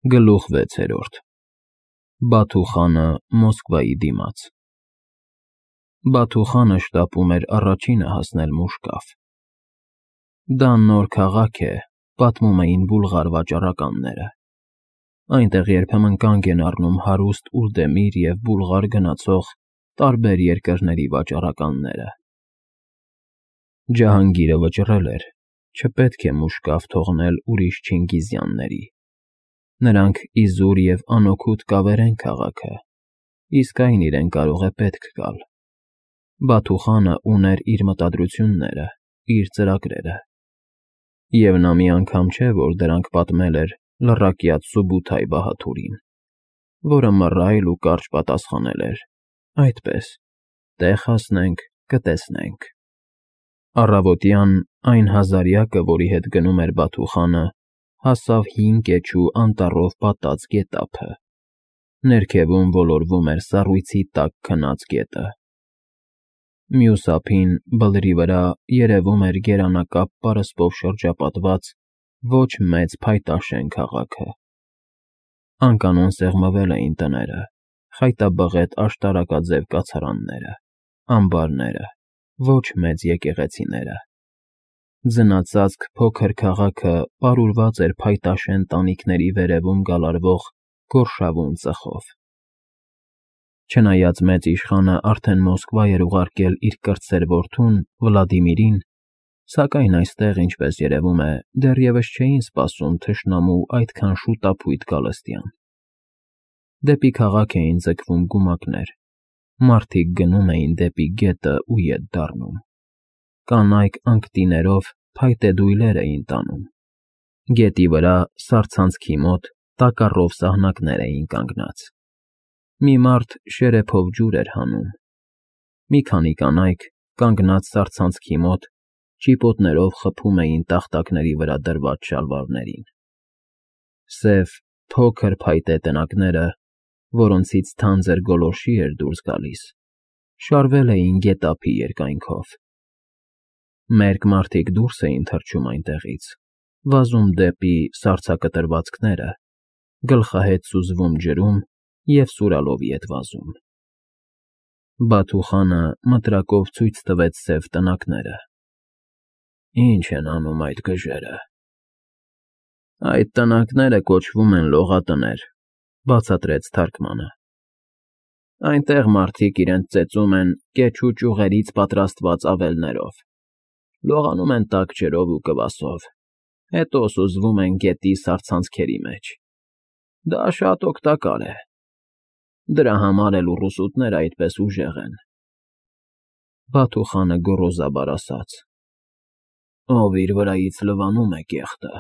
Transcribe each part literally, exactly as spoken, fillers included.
Գլուխ վեցերորդ Բաթու խանը Մոսկվայի դիմաց Բաթու խանը շտապում էր առաջինը հասնել Մուշկաֆ։ Դա նոր քաղաք է, պատմում էին բուլղար վաճառականները։ Այնտեղ երբեմն կանգ են առնում հարուստ Ուլդեմիր և Բուլղար գնացող տարբեր երկրների վաճառականները։ Ջահանգիրը վճռել էր, չպետք է Մուշկաֆ թողնել ուրիշ Չինգիզյանների։ Նրանք իզուր և անօգուտ կավերեն քաղաքը, իսկ այն իրեն կարող է պետք գալ։ Բաթու խանը ուներ իր մտադրությունները, իր ծրագրերը։ Եվ նա մի անգամ չէ, որ դրանք պատմել էր լռակյաց Սուբութայ Բահադուրին, որը մռայլ ու կարճ պատասխանել էր. այդպես, տեղ հասնենք, կտեսնենք։ Առավոտյան այն հազարյակը, որի հետ գնում էր Բաթու խանը, հասավ հին կեչու անտառով պատած գետափը։ Ներքևում ոլորվում էր սառույցի տաք քնած գետը։ Մյուս ափին, բլրի վրա, երևում էր գերանակապ պարսպով շրջապատված ոչ մեծ փայտաշեն քաղաքը։ Անկանոն սեղմվել էին տները, խայտաբղետ աշտարակաձև կացարանները, ամբարները, ոչ մեծ եկեղեցիները։ Ձնածածկ փոքր քաղաքը պարուրված էր փայտաշեն տանիքների վերևում գալարվող գորշավուն ծխով։ Չնայած մեծ իշխանը արդեն Մոսկվա էր ուղարկել իր կրտսեր որդուն՝ Վլադիմիրին, սակայն այստեղ, ինչպես երևում է, դեռևս չէին սպասում թշնամու այդքան շուտափույթ գալստյան։ Դեպի քաղաք էին ձգվում գումակներ, մարդիկ գնում էին դեպի գետն ու ետ դառնում։ Կանայք անկտիներով փայտե դույլեր էին տանում։ Գետի վրա, սառցանցքի մոտ, տակառով սահնակներ էին կանգնած։ Մի մարդ շերեփով ջուր էր հանում։ Մի քանի կանայք, կանգնած սառցանցքի մոտ, ճիպոտներով խփում էին տախտակների վրա դրված շալվարներին։ Սև, փոքր փայտե տնակները, որոնցից թանձր գոլորշի էր դուրս գալիս, շարվել էին գետափի երկայնքով։ Մերկ մարդիկ դուրս էին թռչում այնտեղից, վազում դեպի սառցակտրվածքները, գլխահեթ սուզվում ջրում և սուրալով ետ վազում։ Բաթու խանը մտրակով ցույց տվեց սև տնակները։ Ի՞նչ են անում այդ գժերը։ Այդ տնակները կոչվում են լողատներ, բացատրեց թարգմանը։ Այնտեղ մարդիկ իրենց ծեծում են կեչու ճյուղերից պատրաստված ավելներով, լողանում են տաք ջրով ու կվասով, հետո սուզվում են գետի սառցանցքերի մեջ։ Դա շատ օգտակար է։ Դրա համար էլ ուռուսուտները այդպես ուժեղ են։ Բաթու խանը գոռոզաբար ասաց. Ով իր վրայից լվանում է կեղտը,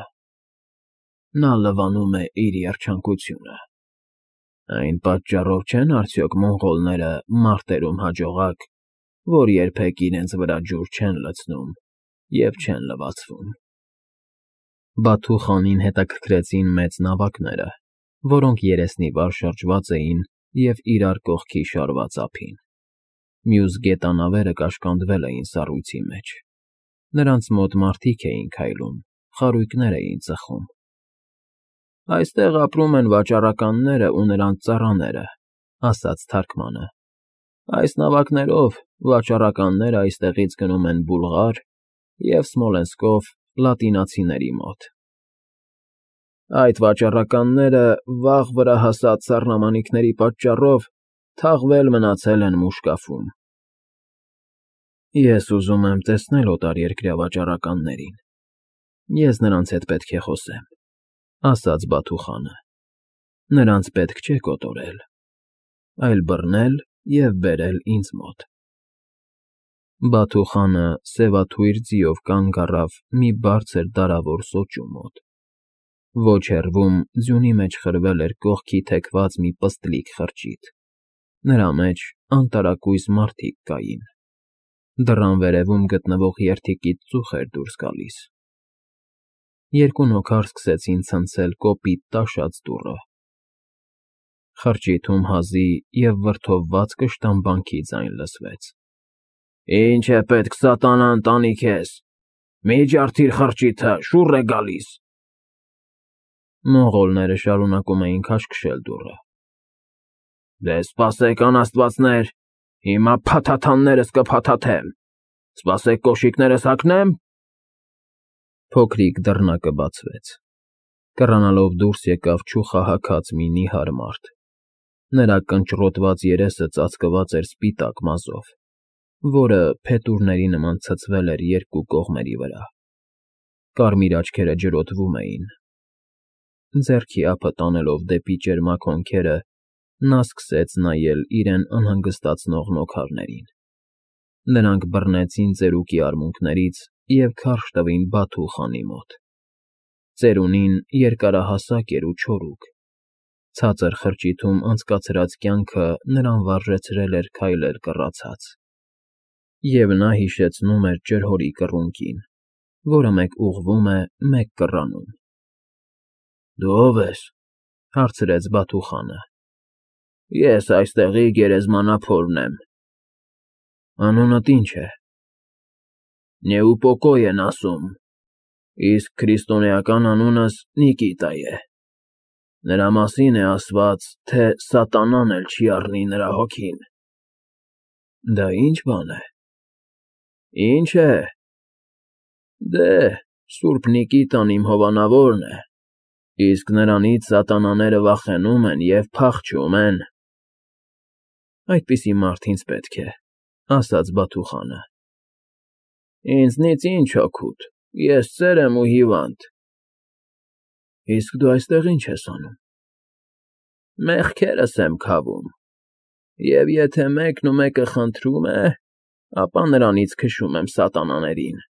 նա լվանում է իր երջանկությունը։ Այն պատճառով չեն արդյոք մոնղոլները մարտերում հաջողակ, որ երբեք իրենց վրա ջուր չեն լցնում և չեն լվացվում։ Բաթու խանին հետաքրքրեցին մեծ նավակները, որոնք երեսնիվար շրջված էին և իրար կողքի շարված ափին։ Մյուս գետանավերը կաշկանդվել էին սառույցի մեջ։ Նրանց մոտ մարդիկ էին քայլում, խարույկներ էին ծխում։ Այստեղ ապրում են վաճառականները ու նրանց ծառաները, ասաց թարգմանը։ Այս նավակներով վաճառականները այստեղից գնում են Բուլղար և Սմոլենսկով լատինացիների մոտ։ Այդ վաճառականները վաղ վրա հասած սառնամանիքների պատճառով թաղվել մնացել են Մուշկաֆում։ Ես ուզում եմ տեսնել օտարերկրյա վաճառականներին։ Ես նրանց հետ պետք է խոսեմ, ասաց Բաթու խանը։ Նրանց պետք չէ կոտորել, այլ բռնել և բերել ինձ մոտ։ Բաթու խանը սևաթույր ձիով կանգ առավ մի բարձր դարավոր սոճու մոտ։ Ոչ հեռվում ձյունի մեջ խրվել էր կողքի թեքված մի պստլիկ խրճիթ, նրա մեջ անտարակույս մարդիկ կային։ Դռան վերևում գտնվող երդիկից ծուխ էր դուրս գալիս։ Երկու նոքար սկսեցին ցնցել կոպիտ տաշած դուռը։ Խրճիթում հազի և վրդովված կշտամբանքի ձայն լսվեց։ Ինչ է պետք սատանա ընտանի քեզ, մի ջարդիր խրճիթը, շուռ է գալիս։ Մոնղոլները շարունակում էին քաշքշել դուռը։ Դե սպասեք, անաստվածներ, հիմա փաթաթաններս կփաթաթեմ, սպասեք կոշիկներս հագնեմ։ Փոքրիկ դռնակը բացվեց։ Կռանալով դուրս եկավ չուխահագած մի նիհար մարդ։ Նրա կնճռոտված երեսը ծածկված էր սպիտակ մազով, որը փետուրների նման ցցվել էր երկու կողմերի վրա։ Կարմիր աչքերը ջրոտվում էին։ Ձեռքի ափը տանելով դեպի ճերմակ հոնքերը, նա սկսեց նայել իրեն անհանգստացնող նոքարներին։ Նրանք բռնեցին ծերուկի արմունկներից և քարշ տվին Բաթու խանի մոտ։ Ծերունին երկարահասակ էր ու չորուկ։ Ցածր խրճիթում անցկացրած կյանքը նրան վարժեցրել էր քայլել կռացած։ Եվ նա հիշեցնում էր ջրհորի կռունկին, որը մեկ ուղղվում է, մեկ կռանում։ Դու ո՞վ ես,֊ հարցրեց Բաթու խանը։ Ես այստեղի գերեզմանափորն եմ։ Անունդ ի՞նչ է։ Նեուպոկոյ են ասում, իսկ քրիստոնեական անունս Նիկիտա է։ Նրա մասին է ասված, թե սատանան էլ չի առնի նրա հոգին։ Դա ի՞նչ բան է։ Ի՞նչ է։ Դե, Սուրբ Նիկիտան իմ հովանավորն է, իսկ նրանից սատանաները վախենում են և փախչում են։ Այդպիսի մարդ ինձ պետք է, ասաց Բաթու խանը։ Ինձնից ի՞նչ օգուտ, ես ծեր եմ ու հիվանդ։ Իսկ դու այստեղ ի՞նչ ես անում։ Մեղքերս եմ քավում, և եթե մեկն ու մեկը խնդրում է, ապա նրանից քշում եմ սատանաներին։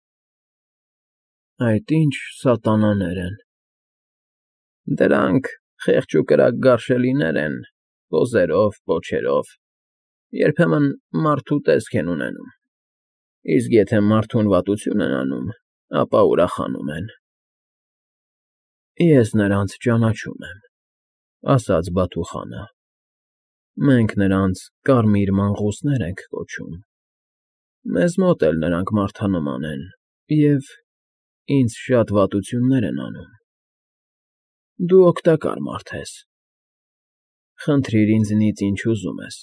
Այդ ի՞նչ սատանաներ են։ Դրանք խեղճ ու կրակ գարշելիներ են, ոզերով, պոչերով, երբեմն մարդու տեսք են ունենում, իսկ եթե մարդուն վատություն են անում, ապա ուրախանում են։ Ես նրանց ճանաչում եմ, ասաց Բաթու խանը։ Մենք նրանց կարմիր մանղուսներ ենք կոչում։ Մեզ մոտ էլ նրանք մարդանման են և ինձ շատ վատություններ են անում։ Դու օգտակար մարդ ես։ Խնդրիր ինձնից, ինչ ուզում ես։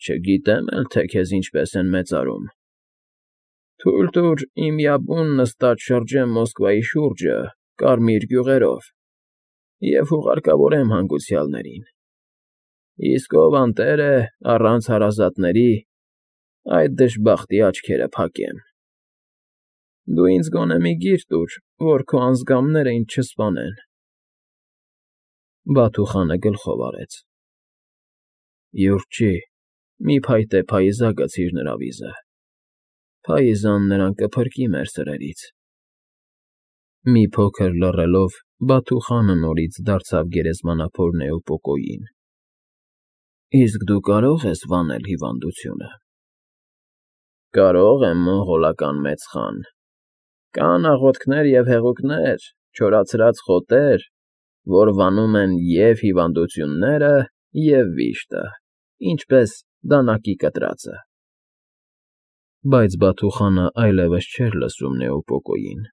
Չգիտեմ էլ, թե քեզ ինչպես են մեծարում։ Թույլ տուր իմ յաբուն նստած շրջեմ Մոսկվայի շուրջը կարմիր գյուղերով և հուղարկավորեմ հանգուցյալներին։ Իսկ ով անտեր է առանց հարազատների, այդ դժբախտի աչքերը փակեմ։ Դու ինձ գոնե մի գիր տուր, որ քո անձգամները ինձ չսպանեն։ Բաթու խանը գլխով արեց։ Յուրջի, մի փայտե փայզա գցիր նրա վիզը։ Փայզան նրան կփրկի մեր սրերից։ Մի փոքր լռելով, Բաթու խանը նորից դարձավ գերեզմանափոր Նեուպոկոյին։ Իսկ դու կարո՞ղ ես վանել հիվանդությունը։ Կարող եմ, մոնղոլական մեծ խան։ Կան աղոթքներ և հեղուկներ, չորացրած խոտեր, որ վանում են և՛ հիվանդությունները, և՛ վիշտը, ինչպես դանակի կտրածը։ Բայց Բաթու խանը այլևս չէր լսում Նեուպոկոյին։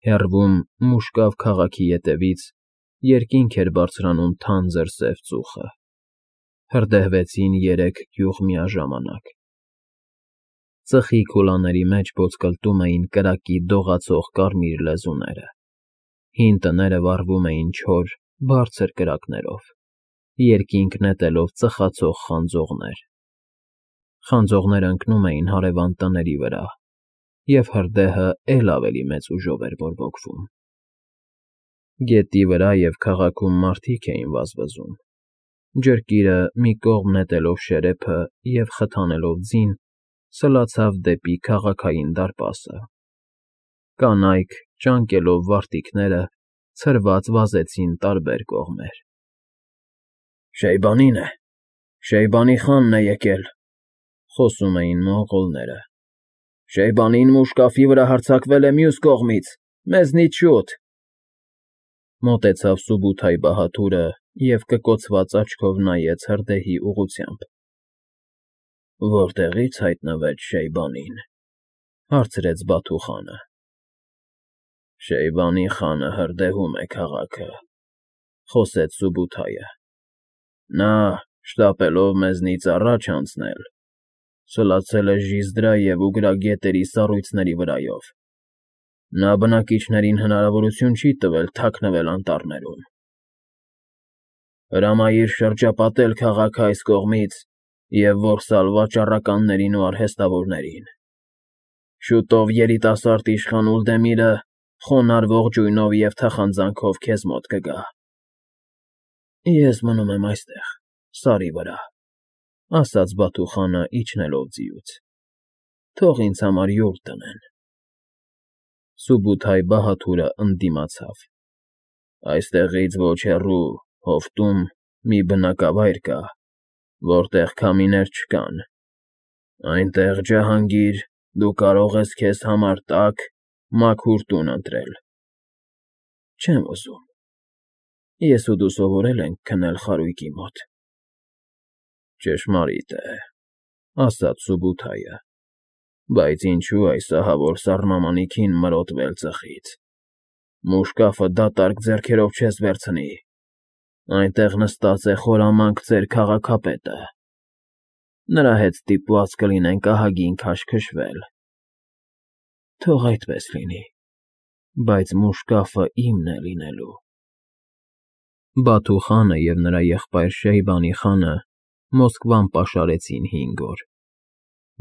Հեռվում, Մուշկավ քաղաքի ետևից, երկինք էր բարձրանում թանձր սև ծուխը։ Հրդեհվեցին երեք գյուղ միաժամանակ։ Ծխի քուլաների մեջ ոսկլտում էին կրակի դողացող կարմիր լեզուները։ Հին տները վառվում էին չոր, բարձր կրակներով, երկինք նետելով ծխացող խանձողներ։ Խանձողներն ընկնում էին հարևան տների վրա, և հրդեհը էլ ավելի մեծ ուժով էր բորբոքվում։ Գետի վրա և քաղաքում մարդիկ էին վազվզում։ Ջրկիրը, մի կողմ նետելով շերեփը և խթանելով ձին, սլացավ դեպի քաղաքային դարպասը։ Կանայք, ճանկելով վարտիքները, ցրված վազեցին տարբեր կողմեր։ Շեյբանին է, Շեյբանի խանն է եկել, խոսում էին մոնղոլները։ Շեյբանին Մուշկաֆի վրա հարձակվել է մյուս կողմից, մեզնից շուտ։ Մոտեցավ Սուբութայ բահադուրը և կկոցված աչքով նայեց հրդեհի ուղղությամբ։ Որտեղի՞ց հայտնվեց Շեյբանին, հարցրեց Բաթու խանը։ Շեյբանի խանը հրդեհում է քաղաքը, խոսեց Սուբութայը։ Նա, շտապելով մեզնից առաջ անցնել, սլացել է Ժիզդրա և Ուգրա գետերի սառույցների վրայով։ Նա բնակիչներին հնարավորություն չի տվել թաքնվել անտառներում։ Հրամայիր շրջապատել քաղաքը այս կողմից և որսալ վաճառականներին ու արհեստավորներին։ Շուտով երիտասարդ իշխան Ուլդեմիրը խոնարհ ողջույնով և թախանձանքով քեզ մոտ կգա։ Ես մնում եմ այստեղ, սարի վրա, ասաց Բաթուխանը իջնելով ձիուց, թող ինձ համար յուր դնեն։ Սուբութայ֊Բահադուրը ընդդիմացավ։ Այստեղից ոչ հեռու, հովտում մի բնակավայր կա, որտեղ քամիներ չկան, այնտեղ, Ջահանգիր, դու կարող ես քեզ համար տաք, մաքուր տուն ընտրել։ Չեմ ուզում, ես ու դու սովորել ենք քնել խարույկի մոտ։ Ճշմարիտ է, ասաց Սուբութայը, բայց ինչու այս ահավոր սառնամանիքին մրոտվել ծխից։ Մուշկաֆը դատարկ ձեռքերով չես վերցնի, այնտեղ նստած է խորամանկ ծեր քաղաքապետը։ Նրա հետ ստիպված կլինենք ահագին քաշքշվել։ Թող այդպես լինի, բայց մուշկաֆը իմն է լինելու։ Բաթուխանը և նրա եղբայր Շեյբանի խանը Մոսկվան պաշարեցին հինգ օր։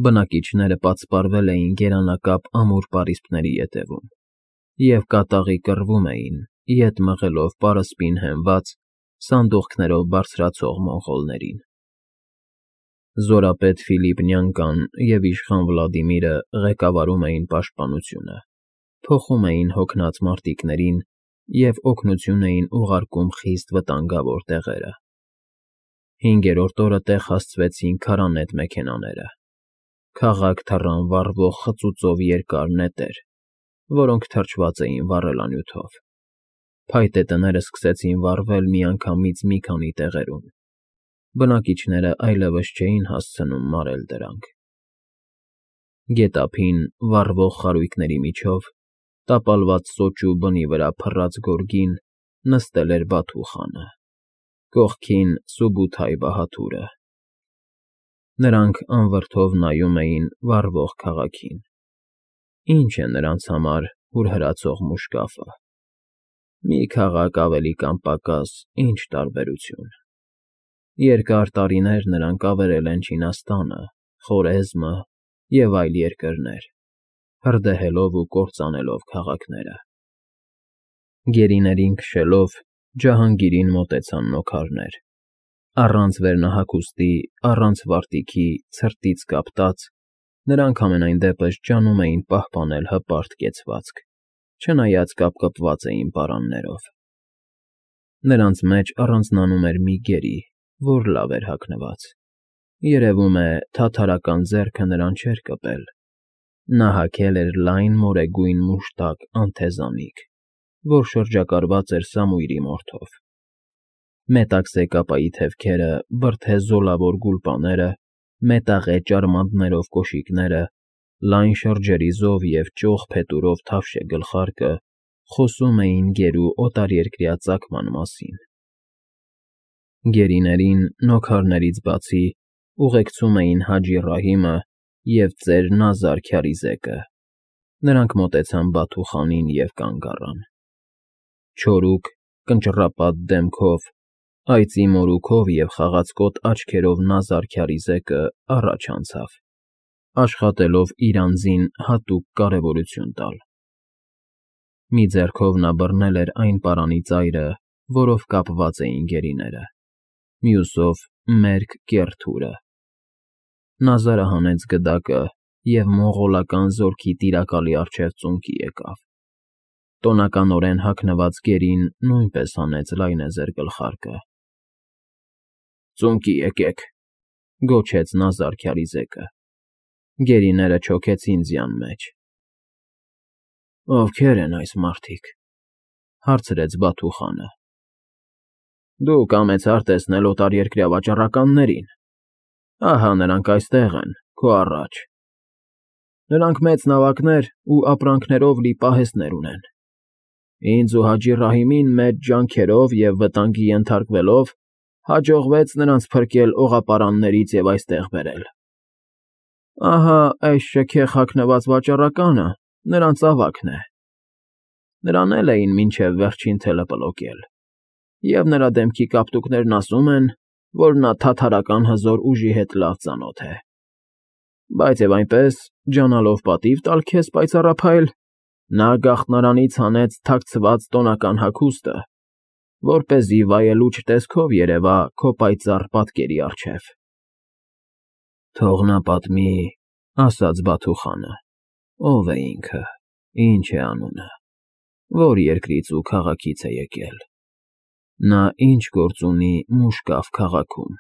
Բնակիչները պատսպարվել էին գերանակապ ամուր պարիսպների ետևում և կատաղի կռվում էին, ետ մղելով պարսպին հենված, սանդուղքներով բարձրացող մոնղոլներին։ Զորապետ Ֆիլիպ Նյանկան և իշխան Վլադիմիրը ղեկավարում էին պաշտպանությունը, փոխում էին հոգնած մարտիկներին և օգնություն էին ուղարկում խիստ վտանգավոր տեղերը։ Հինգերորդ օրը տեղ հասցվեցին քարանետ մեքենաները։ Քաղաք թռան վառվող խծուծով երկար նետեր, որոնք թրջված էին վառելանյութով։ Փայտե տները սկսեցին վառվել միանգամից մի քանի տեղերում։ Բնակիչները այլևս չէին հասցնում մարել դրանք։ Գետափին, վառվող խարույկների միջով, տապալված սոճու բնի վրա փռած գորգին նստել էր Բաթուխանը, կողքին Սուբութայ֊Բահադուրը։ Նրանք անվրդով նայում էին վառվող քաղաքին։ Ինչ է նրանց համար հուրհրացող մուշկաֆը։ Մի քաղաք ավելի կամ պակաս, ինչ տարբերություն։ Երկար տարիներ նրանք ավերել են Չինաստանը, Խորեզմը և այլ երկրներ, հրդեհելով ու կործանելով քաղաքները։ Գերիներին քշելով Ջահանգիրին մոտեցան նոքարներ։ Առանց վերնահագուստի, առանց վարտիքի, ցրտից կապտած, նրանք համենայն դեպս ջանում էին պահպանել հպարտ կեցվածք, չնայած կապկպված էին պարաններով։ Նրանց մեջ առանձնանում էր մի գերի, որ լավ էր հագնված։ Երևում է, թաթարական ձեռքը նրան չէր կպել։ Նա հագել էր լայն մորեգույն մուշտակ անթեզանիք, որ շրջակալված էր սամույրի մորթով։ Մետաքսե կապայի թևքերը, բրդե զոլավոր գուլպաները, մետաղե ճարմանտներով կոշիկները, լայն շրջերիզով և ճոխ փետուրով թավշե գլխարկը խոսում էին գերու օտարերկրյա ծագման մասին։ Գերիներին, նոքարներից բացի, ուղեկցում էին Հաջի Ռահիմը և ծեր Նազար Քյարիզեկը։ Նրանք մոտեցան Բաթուխանին և կանգ առան։ Չորուկ, կնճռապատ դեմքով, այծի մորուքով և խաղացկոտ աչքերով Նազար Քյարիզեկը առաջ անցավ, աշխատելով իր անձին հատուկ կարևորություն տալ։ Մի ձեռքով նա բռնել էր այն պարանի ծայրը, որով կապված էին գերիները, մյուսով՝ մերկ կեռ թուրը։ Նազարը հանեց գդակը և մոնղոլական զորքի տիրակալի առջև ծունկի եկավ։ Տոնականորեն հագնված գերին նույնպես հանեց լայնեզր գլխարկը։ ֊ Ծունկի եկեք,֊ գոչեց Նազար Քյարիզեկը։ Գերիները չոքեցին ձյան մեջ։ ֊ Ովքե՞ր են այս մարդիկ,֊ հարցրեց Բաթուխանը։ ֊ Դու կամեցար տեսնել օտարերկրյա վաճառականներին։ Ահա նրանք այստեղ են, քո առաջ։ Նրանք մեծ նավակներ ու ապրանքներով լի պահեստներ ունեն։ Ինձ ու Հաջի Ռահիմին մեծ ջանքերով և վտանգի ենթարկվելով հաջողվեց նրանց փրկել օղապարաններից և այստեղ բերել։ Ահա այս շքեղ հագնված վաճառականը նրանց ավագն է։ Նրան էլ էին մինչև վերջին թելը պլոկել, և նրա դեմքի կապտուկներն ասում են, որ նա թաթարական հզոր ուժի հետ լավ ծանոթ է։ Բայց և այնպես, ջանալով պատիվ տալ քեզ, պայծառափայլ, նա գաղտնարանից հանեց թաքցված տոնական հագուստը, որպեսզի վայելուչ տեսքով երևա քո պայծառ պատկերի առջև։ Թող նա պատմի, ֊ ասաց Բաթուխանը, ֊ ով է ինքը, ինչ է անունը, որ երկրից ու քաղաքից է եկել, նա ինչ գործ ունի Մուշկաֆ քաղաքում։